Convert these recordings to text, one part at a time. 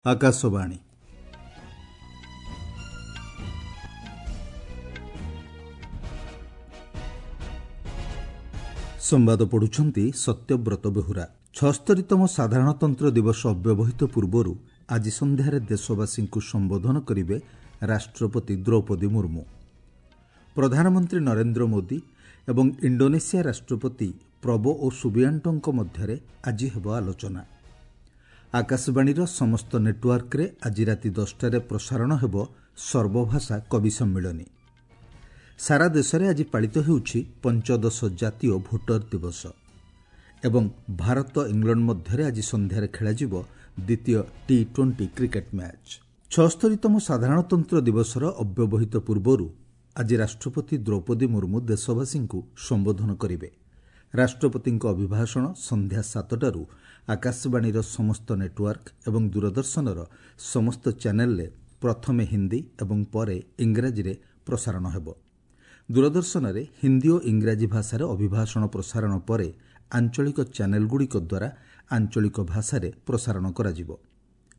ଆକାଶବାଣୀ। ସମ୍ବାଦ ପଢୁଛନ୍ତି ସତ୍ୟବ୍ରତ ବେହୁରା। 76ତମ ସାଧାରଣତନ୍ତ୍ର ଦିବସ ଅବ୍ୟବହିତ ପୂର୍ବରୁ ଆଜି ସନ୍ଧ୍ୟାରେ ଦେଶବାସୀଙ୍କୁ ସମ୍ବୋଧନ କରିବେ ରାଷ୍ଟ୍ରପତି ଦ୍ରୌପଦୀ ମୁର୍ମୁ। ପ୍ରଧାନମନ୍ତ୍ରୀ ନରେନ୍ଦ୍ର ମୋଦି ଏବଂ ଇଣ୍ଡୋନେସିଆ ରାଷ୍ଟ୍ରପତି ପ୍ରବୋଓ ସୁବିଆଣ୍ଟୋଙ୍କ ମଧ୍ୟରେ ଆଜି ହେବ ଆଲୋଚନା। ଆକାଶବାଣୀର ସମସ୍ତ ନେଟୱାର୍କରେ ଆଜି ରାତି 10ଟାରେ ପ୍ରସାରଣ ହେବ ସର୍ବଭାଷା କବି ସମ୍ମିଳନୀ। ସାରା ଦେଶରେ ଆଜି ପାଳିତ ହେଉଛି ପଞ୍ଚଦଶ ଜାତୀୟ ଭୋଟର ଦିବସ ଏବଂ ଭାରତ ଇଂଲଣ୍ଡ ମଧ୍ୟରେ ଆଜି ସନ୍ଧ୍ୟାରେ ଖେଳାଯିବ ଦ୍ୱିତୀୟ ଟି-20 କ୍ରିକେଟ୍ ମ୍ୟାଚ୍। 76ତମ ସାଧାରଣତନ୍ତ୍ର ଦିବସର ଅବ୍ୟବହିତ ପୂର୍ବରୁ ଆଜି ରାଷ୍ଟ୍ରପତି ଦ୍ରୌପଦୀ ମୁର୍ମୁ ଦେଶବାସୀଙ୍କୁ ସମ୍ବୋଧନ କରିବେ। ରାଷ୍ଟ୍ରପତିଙ୍କ ଅଭିଭାଷଣ ସନ୍ଧ୍ୟା 7ଟାରୁ ଆକାଶବାଣୀର ସମସ୍ତ ନେଟୱାର୍କ ଏବଂ ଦୂରଦର୍ଶନର ସମସ୍ତ ଚ୍ୟାନେଲରେ ପ୍ରଥମେ ହିନ୍ଦୀ ଏବଂ ପରେ ଇଂରାଜୀରେ ପ୍ରସାରଣ ହେବ। ଦୂରଦର୍ଶନରେ ହିନ୍ଦୀ ଓ ଇଂରାଜୀ ଭାଷାରେ ଅଭିଭାଷଣ ପ୍ରସାରଣ ପରେ ଆଞ୍ଚଳିକ ଚ୍ୟାନେଲଗୁଡ଼ିକ ଦ୍ୱାରା ଆଞ୍ଚଳିକ ଭାଷାରେ ପ୍ରସାରଣ କରାଯିବ।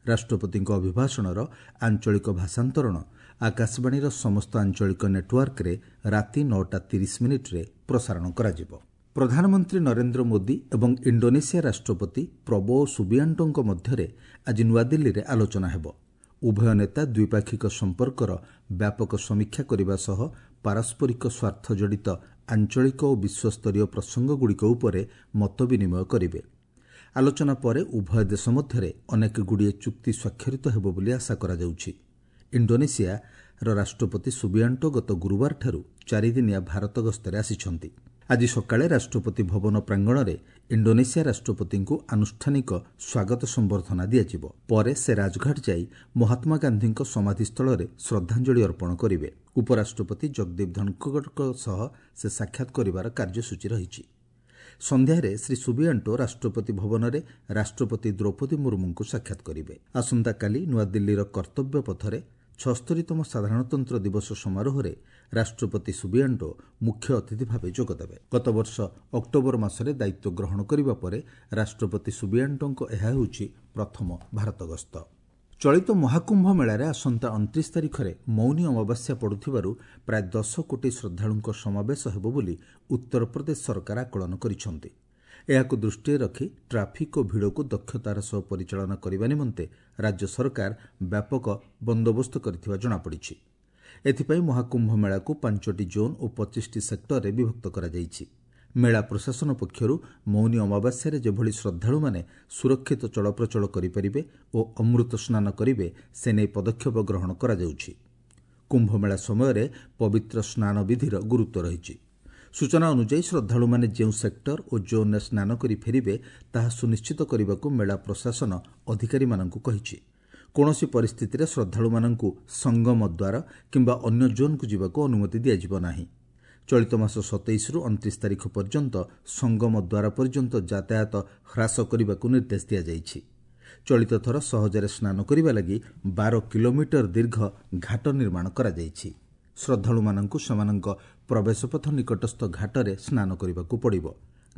ରାଷ୍ଟ୍ରପତିଙ୍କ ଅଭିଭାଷଣର ଆଞ୍ଚଳିକ ଭାଷାନ୍ତରଣ ଆକାଶବାଣୀର ସମସ୍ତ ଆଞ୍ଚଳିକ ନେଟୱାର୍କରେ ରାତି 9ଟା 30 ମିନିଟ୍ରେ ପ୍ରସାରଣ କରାଯିବ। ପ୍ରଧାନମନ୍ତ୍ରୀ ନରେନ୍ଦ୍ର ମୋଦି ଏବଂ ଇଣ୍ଡୋନେସିଆ ରାଷ୍ଟ୍ରପତି ପ୍ରବୋଓ ସୁବିଆଣ୍ଟୋଙ୍କ ମଧ୍ୟରେ ଆଜି ନୂଆଦିଲ୍ଲୀରେ ଆଲୋଚନା ହେବ। ଉଭୟ ନେତା ଦ୍ୱିପାକ୍ଷିକ ସମ୍ପର୍କର ବ୍ୟାପକ ସମୀକ୍ଷା କରିବା ସହ ପାରସ୍ପରିକ ସ୍ୱାର୍ଥ ଜଡ଼ିତ ଆଞ୍ଚଳିକ ଓ ବିଶ୍ୱସ୍ତରୀୟ ପ୍ରସଙ୍ଗଗୁଡ଼ିକ ଉପରେ ମତ ବିନିମୟ କରିବେ। ଆଲୋଚନା ପରେ ଉଭୟ ଦେଶ ମଧ୍ୟରେ ଅନେକଗୁଡ଼ିଏ ଚୁକ୍ତି ସ୍ୱାକ୍ଷରିତ ହେବ ବୋଲି ଆଶା କରାଯାଉଛି। ଇଣ୍ଡୋନେସିଆର ରାଷ୍ଟ୍ରପତି ସୁବିଆଣ୍ଟୋ ଗତ ଗୁରୁବାରଠାରୁ 4 ଦିନିଆ ଭାରତ ଗସ୍ତରେ ଆସିଛନ୍ତି। ଆଜି ସକାଳେ ରାଷ୍ଟ୍ରପତି ଭବନ ପ୍ରାଙ୍ଗଣରେ ଇଣ୍ଡୋନେସିଆ ରାଷ୍ଟ୍ରପତିଙ୍କୁ ଆନୁଷ୍ଠାନିକ ସ୍ୱାଗତ ସମ୍ବର୍ଦ୍ଧନା ଦିଆଯିବ। ପରେ ସେ ରାଜଘାଟ ଯାଇ ମହାତ୍ମା ଗାନ୍ଧୀଙ୍କ ସମାଧିସ୍ଥଳରେ ଶ୍ରଦ୍ଧାଞ୍ଜଳି ଅର୍ପଣ କରିବେ। ଉପରାଷ୍ଟ୍ରପତି ଜଗଦୀପ ଧନଖଡ଼ଙ୍କ ସହ ସେ ସାକ୍ଷାତ କରିବାର କାର୍ଯ୍ୟସୂଚୀ ରହିଛି। ସନ୍ଧ୍ୟାରେ ଶ୍ରୀ ସୁବିଆଣ୍ଟୋ ରାଷ୍ଟ୍ରପତି ଭବନରେ ରାଷ୍ଟ୍ରପତି ଦ୍ରୌପଦୀ ମୁର୍ମୁଙ୍କୁ ସାକ୍ଷାତ କରିବେ। ଆସନ୍ତାକାଲି ନୂଆଦିଲ୍ଲୀର କର୍ତ୍ତବ୍ୟ ପଥରେ 76ତମ ସାଧାରଣତନ୍ତ୍ର ଦିବସ ସମାରୋହରେ ରାଷ୍ଟ୍ରପତି ସୁବିଆଣ୍ଟୋ ମୁଖ୍ୟ ଅତିଥି ଭାବେ ଯୋଗଦେବେ। ଗତବର୍ଷ ଅକ୍ଟୋବର ମାସରେ ଦାୟିତ୍ୱ ଗ୍ରହଣ କରିବା ପରେ ରାଷ୍ଟ୍ରପତି ସୁବିଆଣ୍ଟୋଙ୍କ ଏହା ହେଉଛି ପ୍ରଥମ ଭାରତ ଗସ୍ତ। ଚଳିତ ମହାକୁମ୍ଭ ମେଳାରେ ଆସନ୍ତା 29 ତାରିଖରେ ମୌନୀ ଅମାବାସ୍ୟା ପଡ଼ୁଥିବାରୁ ପ୍ରାୟ 10 କୋଟି ଶ୍ରଦ୍ଧାଳୁଙ୍କ ସମାବେଶ ହେବ ବୋଲି ଉତ୍ତରପ୍ରଦେଶ ସରକାର ଆକଳନ କରିଛନ୍ତି। ଏହାକୁ ଦୃଷ୍ଟିରେ ରଖି ଟ୍ରାଫିକ୍ ଓ ଭିଡ଼କୁ ଦକ୍ଷତାର ସହ ପରିଚାଳନା କରିବା ନିମନ୍ତେ ରାଜ୍ୟ ସରକାର ବ୍ୟାପକ ବନ୍ଦୋବସ୍ତ କରିଥିବା ଜଣାପଡ଼ିଛି। ଏଥିପାଇଁ ମହାକୁମ୍ଭ ମେଳାକୁ ପାଞ୍ଚଟି ଜୋନ୍ ଓ 25ଟି ସେକ୍ଟରରେ ବିଭକ୍ତ କରାଯାଇଛି। ମେଳା ପ୍ରଶାସନ ପକ୍ଷରୁ ମୌନୀ ଅମାବାସ୍ୟାରେ ଯେଭଳି ଶ୍ରଦ୍ଧାଳୁମାନେ ସୁରକ୍ଷିତ ଚଳପ୍ରଚଳ କରିପାରିବେ ଓ ଅମୃତ ସ୍ନାନ କରିବେ, ସେ ନେଇ ପଦକ୍ଷେପ ଗ୍ରହଣ କରାଯାଉଛି। କୁମ୍ଭମେଳା ସମୟରେ ପବିତ୍ର ସ୍ନାନ ବିଧିର ଗୁରୁତ୍ୱ ରହିଛି। ସୂଚନା ଅନୁଯାୟୀ, ଶ୍ରଦ୍ଧାଳୁମାନେ ଯେଉଁ ସେକ୍ଟର ଓ ଜୋନ୍ରେ ସ୍ନାନ କରି ଫେରିବେ, ତାହା ସୁନିଶ୍ଚିତ କରିବାକୁ ମେଳା ପ୍ରଶାସନ ଅଧିକାରୀମାନଙ୍କୁ କହିଛି। କୌଣସି ପରିସ୍ଥିତିରେ ଶ୍ରଦ୍ଧାଳୁମାନଙ୍କୁ ସଙ୍ଗମ ଦ୍ୱାର କିମ୍ବା ଅନ୍ୟ ଜୋନ୍କୁ ଯିବାକୁ ଅନୁମତି ଦିଆଯିବ ନାହିଁ। ଚଳିତ ମାସ 27ରୁ 29 ତାରିଖ ପର୍ଯ୍ୟନ୍ତ ସଙ୍ଗମ ଦ୍ୱାର ପର୍ଯ୍ୟନ୍ତ ଯାତାୟାତ ହ୍ରାସ କରିବାକୁ ନିର୍ଦ୍ଦେଶ ଦିଆଯାଇଛି। ଚଳିତ ଥର ସହଜରେ ସ୍ନାନ କରିବା ଲାଗି 12 କିଲୋମିଟର ଦୀର୍ଘ ଘାଟ ନିର୍ମାଣ କରାଯାଇଛି। ଶ୍ରଦ୍ଧାଳୁମାନଙ୍କୁ ସେମାନଙ୍କ ପ୍ରବେଶପଥ ନିକଟସ୍ଥ ଘାଟରେ ସ୍ନାନ କରିବାକୁ ପଡ଼ିବ।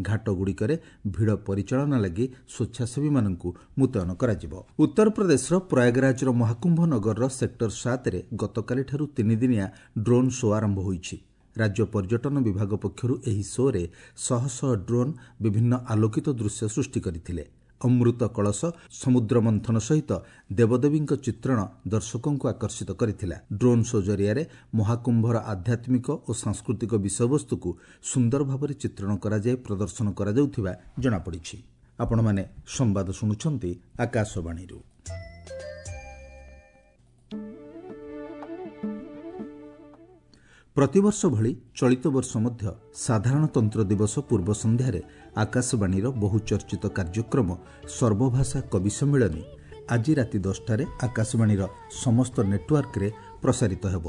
ଘାଟଗୁଡ଼ିକରେ ଭିଡ଼ ପରିଚାଳନା ଲାଗି ସ୍ୱେଚ୍ଛାସେବୀମାନଙ୍କୁ ମୁତୟନ କରାଯିବ। ଉତ୍ତରପ୍ରଦେଶର ପ୍ରୟାଗରାଜର ମହାକୁମ୍ଭ ନଗରର ସେକ୍ଟର 7ରେ ଗତକାଲିଠାରୁ 3 ଦିନିଆ ଡ୍ରୋନ୍ ଶୋ ଆରମ୍ଭ ହୋଇଛି। ରାଜ୍ୟ ପର୍ଯ୍ୟଟନ ବିଭାଗ ପକ୍ଷରୁ ଏହି ଶୋରେ ଶହ ଶହ ଡ୍ରୋନ୍ ବିଭିନ୍ନ ଆଲୋକିତ ଦୃଶ୍ୟ ସୃଷ୍ଟି କରିଥିଲେ। ଅମୃତ କଳସ, ସମୁଦ୍ର ମନ୍ଥନ ସହିତ ଦେବଦେବୀଙ୍କ ଚିତ୍ରଣ ଦର୍ଶକଙ୍କୁ ଆକର୍ଷିତ କରିଥିଲା। ଡ୍ରୋନ୍ ଶୋ ଜରିଆରେ ମହାକୁମ୍ଭର ଆଧ୍ୟାତ୍ମିକ ଓ ସାଂସ୍କୃତିକ ବିଷୟବସ୍ତୁକୁ ସୁନ୍ଦର ଭାବରେ ଚିତ୍ରଣ କରାଯାଇ ପ୍ରଦର୍ଶନ କରାଯାଉଥିବା ଜଣାପଡ଼ିଛି। ଆପଣମାନେ ସମ୍ବାଦ ଶୁଣୁଛନ୍ତି ଆକାଶବାଣୀରୁ। ପ୍ରତିବର୍ଷ ଭଳି ଚଳିତ ବର୍ଷ ମଧ୍ୟ ସାଧାରଣତନ୍ତ୍ର ଦିବସ ପୂର୍ବ ସନ୍ଧ୍ୟାରେ ଆକାଶବାଣୀର ବହୁଚର୍ଚ୍ଚିତ କାର୍ଯ୍ୟକ୍ରମ ସର୍ବଭାଷା କବି ସମ୍ମିଳନୀ ଆଜି ରାତି 10ଟାରେ ଆକାଶବାଣୀର ସମସ୍ତ ନେଟୱାର୍କରେ ପ୍ରସାରିତ ହେବ।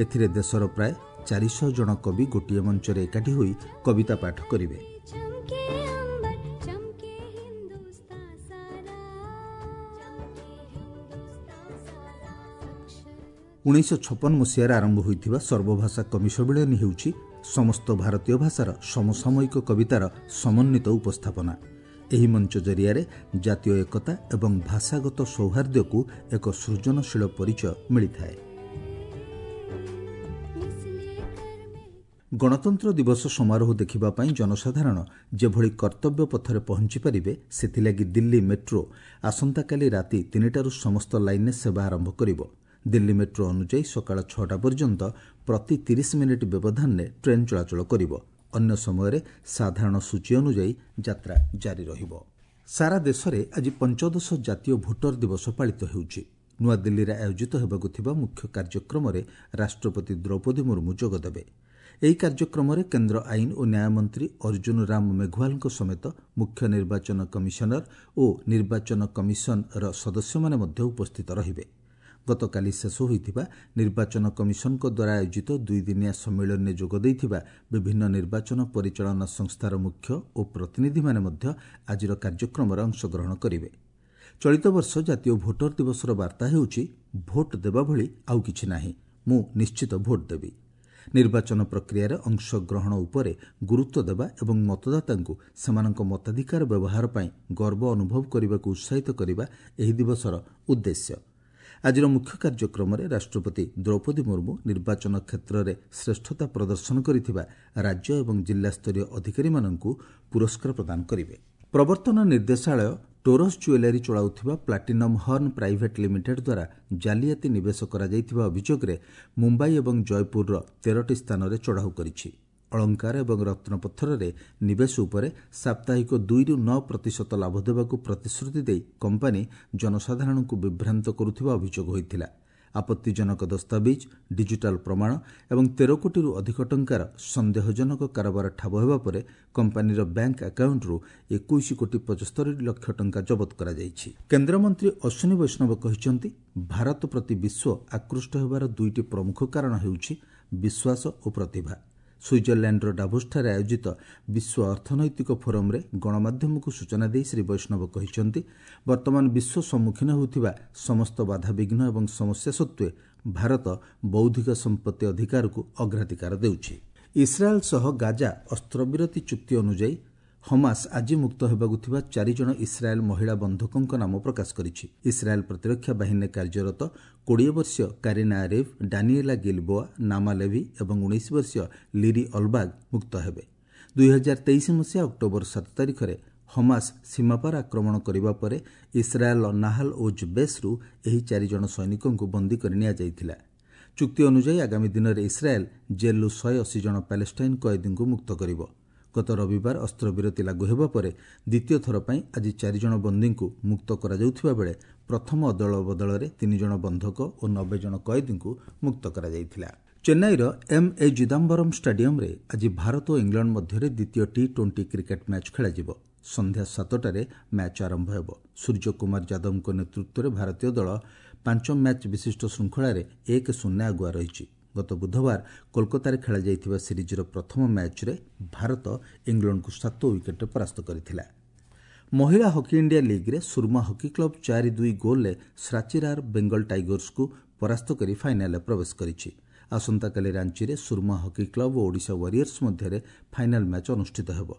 ଏଥିରେ ଦେଶର ପ୍ରାୟ 400 ଜଣ କବି ଗୋଟିଏ ମଞ୍ଚରେ ଏକାଠି ହୋଇ କବିତା ପାଠ କରିବେ। चमके अंबर, चमके हिंदुस्तां सारा, चमके हिंदुस्तां सारा, अक्षर 1956 ମସିହାରେ ଆରମ୍ଭ ହୋଇଥିବା ସର୍ବଭାଷା କବି ସମ୍ମିଳନୀ ହେଉଛି ସମସ୍ତ ଭାରତୀୟ ଭାଷାର ସମସାମୟିକ କବିତାର ସମନ୍ୱିତ ଉପସ୍ଥାପନା। ଏହି ମଞ୍ଚ ଜରିଆରେ ଜାତୀୟ ଏକତା ଏବଂ ଭାଷାଗତ ସୌହାର୍ଦ୍ଦ୍ୟକୁ ଏକ ସୃଜନଶୀଳ ପରିଚୟ ମିଳିଥାଏ। ଗଣତନ୍ତ୍ର ଦିବସ ସମାରୋହ ଦେଖିବା ପାଇଁ ଜନସାଧାରଣ ଯେଭଳି କର୍ତ୍ତବ୍ୟ ପଥରେ ପହଞ୍ଚିପାରିବେ, ସେଥିଲାଗି ଦିଲ୍ଲୀ ମେଟ୍ରୋ ଆସନ୍ତାକାଲି ରାତି 3ଟାରୁ ସମସ୍ତ ଲାଇନ୍ରେ ସେବା ଆରମ୍ଭ କରିବ। ଦିଲ୍ଲୀ ମେଟ୍ରୋ ଅନୁଯାୟୀ ସକାଳ 6ଟା ପର୍ଯ୍ୟନ୍ତ ପ୍ରତି 30 ମିନିଟ୍ ବ୍ୟବଧାନରେ ଟ୍ରେନ୍ ଚଳାଚଳ କରିବ। ଅନ୍ୟ ସମୟରେ ସାଧାରଣ ସୂଚୀ ଅନୁଯାୟୀ ଯାତ୍ରା ଜାରି ରହିବ। ସାରା ଦେଶରେ ଆଜି 15ଶ ଜାତୀୟ ଭୋଟର ଦିବସ ପାଳିତ ହେଉଛି। ନୂଆଦିଲ୍ଲୀରେ ଆୟୋଜିତ ହେବାକୁ ଥିବା ମୁଖ୍ୟ କାର୍ଯ୍ୟକ୍ରମରେ ରାଷ୍ଟ୍ରପତି ଦ୍ରୌପଦୀ ମୁର୍ମୁ ଯୋଗଦେବେ। ଏହି କାର୍ଯ୍ୟକ୍ରମରେ କେନ୍ଦ୍ର ଆଇନ ଓ ନ୍ୟାୟ ମନ୍ତ୍ରୀ ଅର୍ଜୁନ ରାମ ମେଘୱାଲଙ୍କ ସମେତ ମୁଖ୍ୟ ନିର୍ବାଚନ କମିଶନର ଓ ନିର୍ବାଚନ କମିଶନର ସଦସ୍ୟମାନେ ମଧ୍ୟ ଉପସ୍ଥିତ ରହିବେ। ଗତକାଲି ଶେଷ ହୋଇଥିବା ନିର୍ବାଚନ କମିଶନଙ୍କ ଦ୍ୱାରା ଆୟୋଜିତ ଦୁଇଦିନିଆ ସମ୍ମିଳନୀରେ ଯୋଗ ଦେଇଥିବା ବିଭିନ୍ନ ନିର୍ବାଚନ ପରିଚାଳନା ସଂସ୍ଥାର ମୁଖ୍ୟ ଓ ପ୍ରତିନିଧିମାନେ ମଧ୍ୟ ଆଜିର କାର୍ଯ୍ୟକ୍ରମରେ ଅଂଶଗ୍ରହଣ କରିବେ। ଚଳିତ ବର୍ଷ ଜାତୀୟ ଭୋଟର ଦିବସର ବାର୍ତ୍ତା ହେଉଛି, ଭୋଟ ଦେବା ଭଳି ଆଉ କିଛି ନାହିଁ, ମୁଁ ନିଶ୍ଚିତ ଭୋଟ ଦେବି। ନିର୍ବାଚନ ପ୍ରକ୍ରିୟାରେ ଅଂଶଗ୍ରହଣ ଉପରେ ଗୁରୁତ୍ୱ ଦେବା ଏବଂ ମତଦାତାଙ୍କୁ ସେମାନଙ୍କ ମତାଧିକାର ବ୍ୟବହାର ପାଇଁ ଗର୍ବ ଅନୁଭବ କରିବାକୁ ଉତ୍ସାହିତ କରିବା ଏହି ଦିବସର ଉଦ୍ଦେଶ୍ୟ। ଆଜିର ମୁଖ୍ୟ କାର୍ଯ୍ୟକ୍ରମରେ ରାଷ୍ଟ୍ରପତି ଦ୍ରୌପଦୀ ମୁର୍ମୁ ନିର୍ବାଚନ କ୍ଷେତ୍ରରେ ଶ୍ରେଷ୍ଠତା ପ୍ରଦର୍ଶନ କରିଥିବା ରାଜ୍ୟ ଏବଂ ଜିଲ୍ଲାସ୍ତରୀୟ ଅଧିକାରୀମାନଙ୍କୁ ପୁରସ୍କାର ପ୍ରଦାନ କରିବେ। ପ୍ରବର୍ତ୍ତନ ନିର୍ଦ୍ଦେଶାଳୟ ଟୋରସ୍ ଜୁଏଲାରୀ ଚଳାଉଥିବା ପ୍ଲାଟିନମ୍ ହର୍ଣ୍ଣ ପ୍ରାଇଭେଟ୍ ଲିମିଟେଡ୍ ଦ୍ୱାରା ଜାଲିଆତି ନିବେଶ କରାଯାଇଥିବା ଅଭିଯୋଗରେ ମୁମ୍ବାଇ ଏବଂ ଜୟପୁରର 13ଟି ସ୍ଥାନରେ ଚଢ଼ାଉ କରିଛି। ଅଳଙ୍କାର ଏବଂ ରତ୍ନପଥରରେ ନିବେଶ ଉପରେ ସାପ୍ତାହିକ 2ରୁ 9% ଲାଭ ଦେବାକୁ ପ୍ରତିଶ୍ରୁତି ଦେଇ କମ୍ପାନୀ ଜନସାଧାରଣଙ୍କୁ ବିଭ୍ରାନ୍ତ କରୁଥିବା ଅଭିଯୋଗ ହୋଇଥିଲା। ଆପତ୍ତିଜନକ ଦସ୍ତାବିଜ, ଡିଜିଟାଲ ପ୍ରମାଣ ଏବଂ 13 କୋଟିରୁ ଅଧିକ ଟଙ୍କାର ସନ୍ଦେହଜନକ କାରବାର ଠାବ ହେବା ପରେ କମ୍ପାନୀର ବ୍ୟାଙ୍କ ଆକାଉଣ୍ଟରୁ 21 କୋଟି 75 ଲକ୍ଷ ଟଙ୍କା ଜବତ କରାଯାଇଛି। କେନ୍ଦ୍ରମନ୍ତ୍ରୀ ଅଶ୍ୱିନୀ ବୈଷ୍ଣବ କହିଛନ୍ତି, ଭାରତ ପ୍ରତି ବିଶ୍ୱ ଆକୃଷ୍ଟ ହେବାର ଦୁଇଟି ପ୍ରମୁଖ କାରଣ ହେଉଛି ବିଶ୍ୱାସ ଓ ପ୍ରତିଭା। ସୁଇଜରଲ୍ୟାଣ୍ଡର ଡାଭୋସଠାରେ ଆୟୋଜିତ ବିଶ୍ୱ ଅର୍ଥନୈତିକ ଫୋରମ୍ରେ ଗଣମାଧ୍ୟମକୁ ସୂଚନା ଦେଇ ଶ୍ରୀ ବୈଷ୍ଣବ କହିଛନ୍ତି, ବର୍ତ୍ତମାନ ବିଶ୍ୱ ସମ୍ମୁଖୀନ ହେଉଥିବା ସମସ୍ତ ବାଧାବିଘ୍ନ ଏବଂ ସମସ୍ୟା ସତ୍ତ୍ୱେ ଭାରତ ବୌଦ୍ଧିକ ସମ୍ପତ୍ତି ଅଧିକାରକୁ ଅଗ୍ରାଧିକାର ଦେଉଛି। ଇସ୍ରାଏଲ୍ ସହ ଗାଜା ଅସ୍ତ୍ରବିରତି ଚୁକ୍ତି ଅନୁଯାୟୀ ହମାସ ଆଜି ମୁକ୍ତ ହେବାକୁ ଥିବା 4 ଜଣ ଇସ୍ରାଏଲ୍ ମହିଳା ବନ୍ଧକଙ୍କ ନାମ ପ୍ରକାଶ କରିଛି। ଇସ୍ରାଏଲ୍ ପ୍ରତିରକ୍ଷା ବାହିନୀରେ କାର୍ଯ୍ୟରତ 20 ବର୍ଷୀୟ Karina Ariev, Daniella Gilboa, Naama Levy ଏବଂ 19 ବର୍ଷୀୟ ଲିରି ଅଲବାଗ ମୁକ୍ତ ହେବେ। 2023 ମସିହା ଅକ୍ଟୋବର 7 ତାରିଖରେ ହମାସ ସୀମାପାର ଆକ୍ରମଣ କରିବା ପରେ ଇସ୍ରାଏଲ୍ର ନାହାଲ ଓଜ୍ ବେସ୍ରୁ ଏହି 4 ଜଣ ସୈନିକଙ୍କୁ ବନ୍ଦୀ କରି ନିଆଯାଇଥିଲା। ଚୁକ୍ତି ଅନୁଯାୟୀ ଆଗାମୀ ଦିନରେ ଇସ୍ରାଏଲ୍ ଜେଲ୍ରୁ 180 ଜଣ ପାଲେଷ୍ଟାଇନ୍ କଏଦୀଙ୍କୁ ମୁକ୍ତ କରିବ। ଗତ ରବିବାର ଅସ୍ତ୍ରବିରତି ଲାଗୁ ହେବା ପରେ ଦ୍ୱିତୀୟ ଥର ପାଇଁ ଆଜି 4 ଜଣ ବନ୍ଦୀଙ୍କୁ ମୁକ୍ତ କରାଯାଉଥିବା ବେଳେ ପ୍ରଥମ ଅଦଳ ବଦଳରେ 3 ଜଣ ବନ୍ଧକ ଓ 90 ଜଣ କଏଦୀଙ୍କୁ ମୁକ୍ତ କରାଯାଇଥିଲା। ଚେନ୍ନାଇର ଏମ୍ ଏ ଚିଦାମ୍ବରମ୍ ଷ୍ଟାଡିୟମ୍ରେ ଆଜି ଭାରତ ଓ ଇଂଲଣ୍ଡ ମଧ୍ୟରେ ଦ୍ୱିତୀୟ ଟି-20 କ୍ରିକେଟ୍ ମ୍ୟାଚ୍ ଖେଳାଯିବ। ସନ୍ଧ୍ୟା 7ଟାରେ ମ୍ୟାଚ୍ ଆରମ୍ଭ ହେବ। ସୂର୍ଯ୍ୟକୁମାର ଯାଦବଙ୍କ ନେତୃତ୍ୱରେ ଭାରତୀୟ ଦଳ 5 ମ୍ୟାଚ୍ ବିଶିଷ୍ଟ ଶୃଙ୍ଖଳାରେ 1-0 ଆଗୁଆ ରହିଛି। ଗତ ବୁଧବାର କୋଲକାତାରେ ଖେଳାଯାଇଥିବା ସିରିଜ୍ର ପ୍ରଥମ ମ୍ୟାଚ୍ରେ ଭାରତ ଇଂଲଣ୍ଡକୁ 7 ୱିକେଟ୍ରେ ପରାସ୍ତ କରିଥିଲା। ମହିଳା ହକି ଇଣ୍ଡିଆ ଲିଗ୍ରେ ସୁରମା ହକି କ୍ଲବ୍ 4-2 ଗୋଲ୍ରେ ଶ୍ରାଚିରାର ବେଙ୍ଗଲ ଟାଇଗର୍ସକୁ ପରାସ୍ତ କରି ଫାଇନାଲ୍ରେ ପ୍ରବେଶ କରିଛି। ଆସନ୍ତାକାଲି ରାଞ୍ଚିରେ ସୁରମା ହକି କ୍ଲବ୍ ଓ ଓଡ଼ିଶା ୱାରିୟର୍ସ ମଧ୍ୟରେ ଫାଇନାଲ୍ ମ୍ୟାଚ୍ ଅନୁଷ୍ଠିତ ହେବ।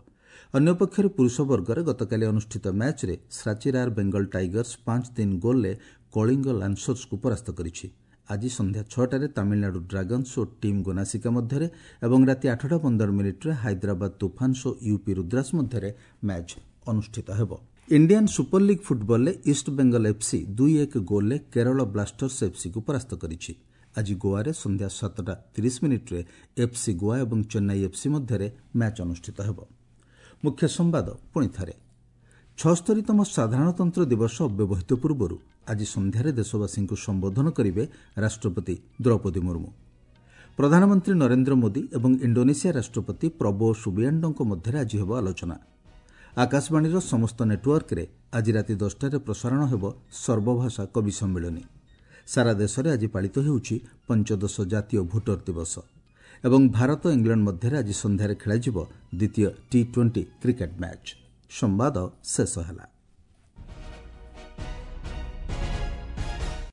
ଅନ୍ୟପକ୍ଷରେ ପୁରୁଷ ବର୍ଗରେ ଗତକାଲି ଅନୁଷ୍ଠିତ ମ୍ୟାଚ୍ରେ ଶ୍ରାଚିରାର ବେଙ୍ଗଲ ଟାଇଗର୍ସ 5-3 ଗୋଲ୍ରେ କଳିଙ୍ଗ ଲାନ୍ସର୍ସକୁ ପରାସ୍ତ କରିଛି। ଆଜି ସନ୍ଧ୍ୟା 6ଟାରେ ତାମିଲନାଡୁ ଡ୍ରାଗନ୍ସ ଓ ଟିମ୍ ଗୋନାସିକା ମଧ୍ୟରେ ଏବଂ ରାତି 8ଟା 15 ମିନିଟ୍ରେ ହାଇଦ୍ରାବାଦ ତୁଫାନ୍ସ ଓ ୟୁପି ରୁଦ୍ରାସ ମଧ୍ୟରେ ମ୍ୟାଚ୍ ଅନୁଷ୍ଠିତ ହେବ। ଇଣ୍ଡିଆନ୍ ସୁପର ଲିଗ୍ ଫୁଟବଲରେ ଇଷ୍ଟ ବେଙ୍ଗଲ ଏଫ୍ସି 2-1 ଗୋଲ୍ରେ କେରଳ ବ୍ଲାଷ୍ଟର୍ସ ଏଫ୍ସିକୁ ପରାସ୍ତ କରିଛି। ଆଜି ଗୋଆରେ ସନ୍ଧ୍ୟା 7ଟା 30 ମିନିଟ୍ରେ ଏଫ୍ସି ଗୋଆ ଏବଂ ଚେନ୍ନାଇ ଏଫ୍ସି ମଧ୍ୟରେ ମ୍ୟାଚ୍ ଅନୁଷ୍ଠିତ ହେବ। ମୁଖ୍ୟ ସମ୍ବାଦ ପୁଣି ଥରେ। 76ତମ ସାଧାରଣତନ୍ତ୍ର ଦିବସ ଅବ୍ୟବହିତ ପୂର୍ବରୁ ଆଜି ସନ୍ଧ୍ୟାରେ ଦେଶବାସୀଙ୍କୁ ସମ୍ବୋଧନ କରିବେ ରାଷ୍ଟ୍ରପତି ଦ୍ରୌପଦୀ ମୁର୍ମୁ। ପ୍ରଧାନମନ୍ତ୍ରୀ ନରେନ୍ଦ୍ର ମୋଦି ଏବଂ ଇଣ୍ଡୋନେସିଆ ରାଷ୍ଟ୍ରପତି ପ୍ରବୋ ସୁବିଆଣ୍ଡୋଙ୍କ ମଧ୍ୟରେ ଆଜି ହେବ ଆଲୋଚନା। ଆକାଶବାଣୀର ସମସ୍ତ ନେଟୱାର୍କରେ ଆଜି ରାତି 10ଟାରେ ପ୍ରସାରଣ ହେବ ସର୍ବଭାଷା କବି ସମ୍ମିଳନୀ। ସାରା ଦେଶରେ ଆଜି ପାଳିତ ହେଉଛି 15ଶ ଜାତୀୟ ଭୋଟର ଦିବସ ଏବଂ ଭାରତ ଇଂଲଣ୍ଡ ମଧ୍ୟରେ ଆଜି ସନ୍ଧ୍ୟାରେ ଖେଳାଯିବ ଦ୍ୱିତୀୟ ଟି-20 କ୍ରିକେଟ୍ ମ୍ୟାଚ୍। ସମ୍ବାଦ ଶେଷ ହେଲା।